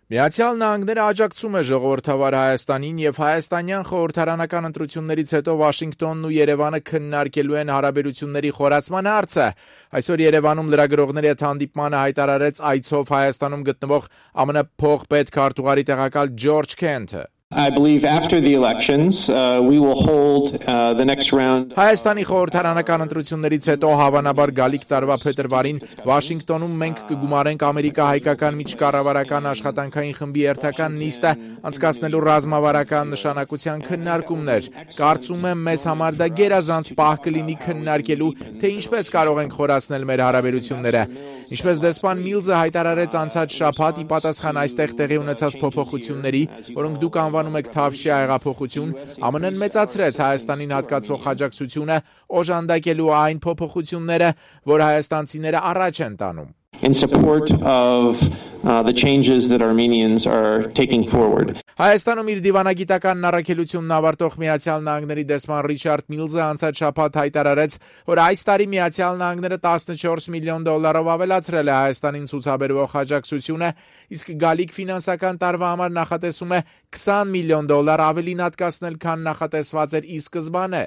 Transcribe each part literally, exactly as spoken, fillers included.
Միացյալ Նահանգները աջակցում է ժողովրդավար Հայաստանին եւ հայաստանյան խորհրդարանական ընտրություններից հետո Վաշինգտոնն ու Երևանը քննարկելու են հարաբերությունների խորացման հարցը։ Այսօր Երևանում լրագրողների հետ հանդիպմանը հայտարարեց այցով Հայաստանում գտնվող ԱՄՆ փոխպետքարտուղարի տեղակալ Ջորջ Քենթը։ I believe after the elections, uh, we will hold uh, the next round. Հայաստանի խորհրդարանական ընտրություններից հետո հավանաբար գալիք տարվա փետրվարին Վաշինգտոնում մենք կգումարենք ամերիկա-հայկական միջկառավարական աշխատանքային խմբի երթական նիստը անցկացնելու ռազմավարական նշանակության քննարկումներ։ Կարծում եմ մեզ համար դա գերազանց պահ կլինի քննարկելու, թե ինչպես կարող ենք խորացնել մեր հարաբերությունները։ Ինչպես դեսպան Միլզը հայտարարեց անցած շաբաթ ի պատասխան այստեղ տեղի ունեցած փոփոխությունների, որոնք դուք անվանում եք Թավշյա հեղափոխություն, ԱՄՆ-ն մեծացրեց Հայաստանին հատկացվող աջակցությունը, օժանդակելու այն փոփոխությունները, որ հայաստանցիները առաջ են տանում։ In support of uh, the changes that Armenians are taking forward. Հայաստանում իր դիվանագիտական առաքելությունն ավարտող Միացյալ Նահանգների դեսպան Ռիչարդ Միլզը անցած շաբաթ հայտարարեց, որ այս տարի Միացյալ Նահանգները տասնչորս միլիոն դոլարով ավելացրել է Հայաստանին ցուցաբերվող աջակցությունը, իսկ գալիք ֆինանսական տարվա համար նախատեսում է քսան միլիոն դոլար ավելին հատկացնել, քան նախատեսված էր ի սկզբանե։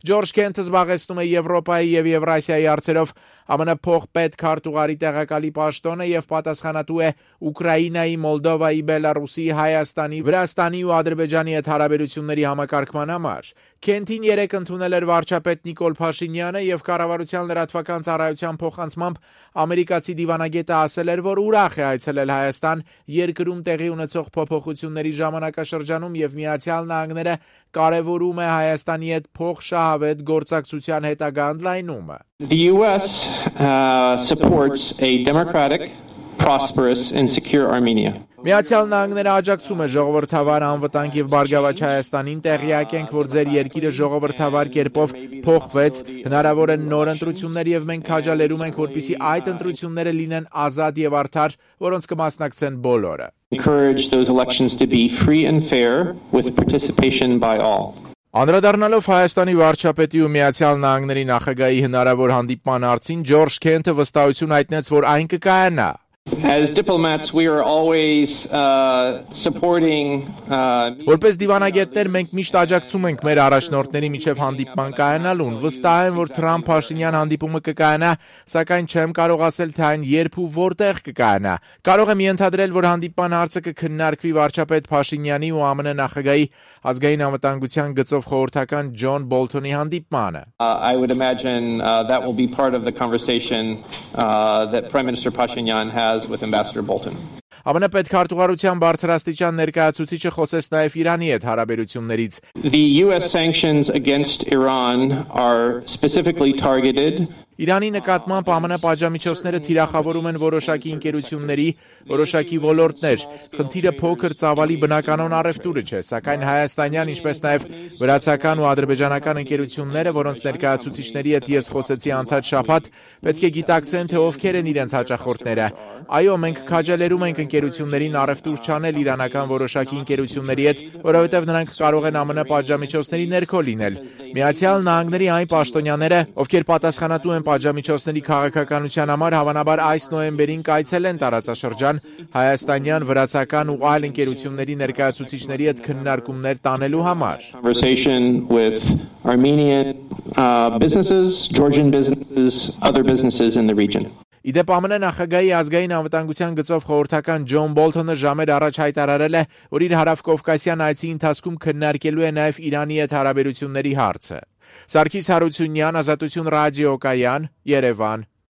Ջորջ Քենթը զբաղեցնում է Եվրոպայի եւ Եվրասիայի հարցերով ԱՄՆ փոխպետքարտուղարի տեղակալի պաշտոնը եւ պատասխանատու է Ուկրաինայի, Մոլդովայի, Բելարուսի, Հայաստանի, Վրաստանի ու Ադրբեջանի հետ հարաբերությունների համակարգման համար։ Քենթին երեկ ընդունել էր վարչապետ Նիկոլ Փաշինյանը եւ կառավարության լրատվական ծառայության փոխանցմամբ ամերիկացի դիվանագետը ասել էր, որ ուրախ է այցելել Հայաստան երկրում տեղի ունեցող փոփոխությունների ժամանակաշրջանում եւ Միացյալ Նահանգները կարևորում է Հայաստանի հետ փոխշահավետ գործակցության հետագա ընդլայնումը։ The U S uh, supports a democratic, prosperous and secure Armenia. Միացյալ Նահանգները աջակցում է ժողովրդավար անվտանգ եւ բարգավաճ Հայաստանին, տեղյակ ենք, որ ձեր երկիրը ժողովրդավար կերպով փոխվեց, հնարավոր են նոր ընտրություններ եւ մենք քաջալերում ենք, որպեսզի այդ ընտրությունները լինեն ազատ եւ արդար, որոնց կմասնակցեն բոլորը։ Encourage those elections to be free and fair with participation by all. Անդրադառնալով Հայաստանի վարչապետի ու Միացյալ Նահանգների նախագահի հնարավոր հանդիպման հարցին, Ջորջ Քենթը վստահություն հայտնեց, որ այն կկայանա։ As diplomats, we are always uh, supporting. Uh, Որպես դիվանագետներ մենք միշտ աջակցում ենք մեր առաջնորդների միջև հանդիպման կայանալուն։ Վստահ եմ, որ Թրամփ-Փաշինյան հանդիպումը կկայանա, սակայն չեմ կարող ասել, թե այն երբ ու որտեղ կկայանա։ Կարող եմ ենթադրել, որ հանդիպման հարցը կքննարկվի վարչապետ Փաշինյանի ու ԱՄՆ նախագահի ազգային անվտանգության գծով խորհրդական Ջոն Բոլթոնի հանդիպմանը։ Uh, I would imagine uh, that will be part of the conversation uh, that Prime Minister Pashinyan has with Ambassador Bolton. ԱՄՆ պետքարտուղարության բարձրաստիճան ներկայացուցիչը խոսեց նաև Իրանի հետ հարաբերություններից։ The U S sanctions against Iran are specifically targeted. Իրանի նկատմամբ ԱՄՆ պատժամիջոցները թիրախավորում են որոշակի ընկերությունների, որոշակի ոլորտներ։ Խնդիրը փոքր ծավալի բնականon առևտուրը չէ, սակայն հայաստանյան, ինչպես նաև վրացական ու ադրբեջանական ընկերությունները, որոնց ներկայացուցիչների հետ ես խոսեցի անցած շաբաթ, պետք է գիտակցեն, թե ովքեր են իրենց հաճախորդները։ Այո, մենք քաջալերում ենք ընկերություններին առևտուր չանել իրանական որոշակի ընկերությունների հետ, որովհետև նրանք կարող են ԱՄՆ պատժամիջոցների ներքո լինել։ Միացյալ Նահանգների այն պաշտոնյաները, ովքեր պատասխանատու են պատժամիջոցների քաղաքականության համար, հավանաբար այս նոյեմբերին կայցելեն տարածաշրջան հայաստանյան, վրացական ու այլ ընկերությունների ներկայացուցիչների հետ քննարկումներ տանելու համար։ Conversation with Armenian uh, businesses, Georgian businesses, other businesses in the region. Իդեպ ԱՄՆ նախագահի ազգային անվտանգության գծով խորհրդական Ջոն Բոլթոնը ժամեր առաջ հայտարարել է, որ իր հարավկովկասյան այցի ընթացքում քննարկելու է նաև Իրանի հետ հարաբերությունների հարցը։ Սարգիս Հարությունյան, Ազատություն ռադիոկայան, Երևան։